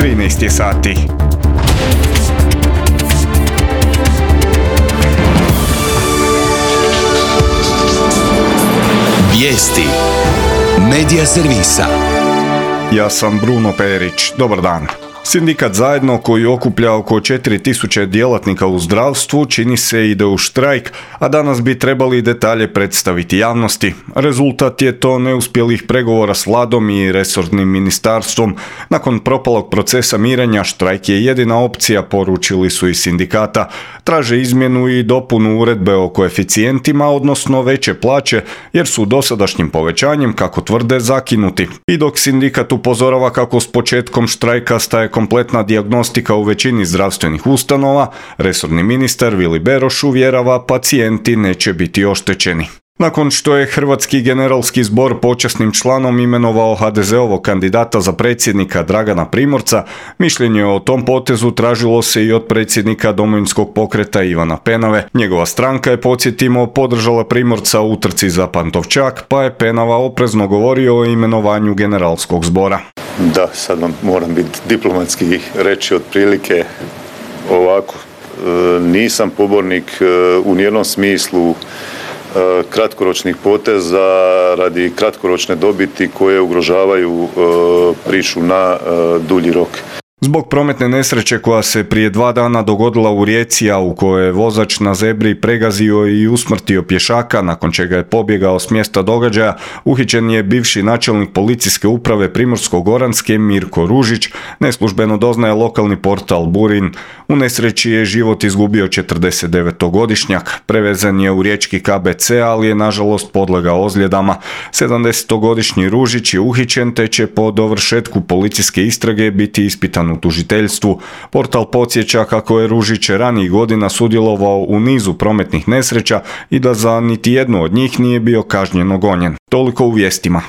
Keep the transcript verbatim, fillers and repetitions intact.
trinaest je sati. Vijesti Medija servisa. Ja sam Bruno Perić. Dobar dan. Sindikat Zajedno, koji okuplja oko četiri tisuće djelatnika u zdravstvu, čini se ide u štrajk, a danas bi trebali detalje predstaviti javnosti. Rezultat je to neuspjelih pregovora s vladom i resornim ministarstvom. Nakon propalog procesa mirenja, štrajk je jedina opcija, poručili su iz sindikata. Traže izmjenu i dopunu uredbe o koeficijentima, odnosno veće plaće, jer su dosadašnjim povećanjem, kako tvrde, zakinuti. I dok sindikat upozorava kako s početkom štrajka staje kompletna dijagnostika u većini zdravstvenih ustanova, resorni ministar Vili Beroš uvjerava pacijenti neće biti oštećeni. Nakon što je Hrvatski generalski zbor počasnim članom imenovao ha de zeovog kandidata za predsjednika Dragana Primorca, mišljenje o tom potezu tražilo se i od predsjednika Domovinskog pokreta Ivana Penave. Njegova stranka je, podsjetimo, podržala Primorca u utrci za Pantovčak, pa je Penava oprezno govorio o imenovanju generalskog zbora. Da, sad vam moram biti diplomatski reći otprilike ovako. E, nisam pobornik e, u nijednom smislu e, kratkoročnih poteza radi kratkoročne dobiti koje ugrožavaju e, priču na e, dulji rok. Zbog prometne nesreće koja se prije dva dana dogodila u Rijeci, a u kojoj je vozač na zebri pregazio i usmrtio pješaka, nakon čega je pobjegao s mjesta događaja, uhićen je bivši načelnik policijske uprave Primorsko-goranske Mirko Ružić, neslužbeno doznaje lokalni portal Burin. U nesreći je život izgubio četrdesetdevetogodišnjak. Prevezen je u riječki ka be ce, ali je nažalost podlegao ozljedama. sedamdesetogodišnji Ružić je uhićen, te će po dovršetku policijske istrage biti ispitan u tužiteljstvu. Portal podsjeća kako je Ružić ranijih godina sudjelovao u nizu prometnih nesreća i da za niti jednu od njih nije bio kažnjeno gonjen. Toliko u vijestima.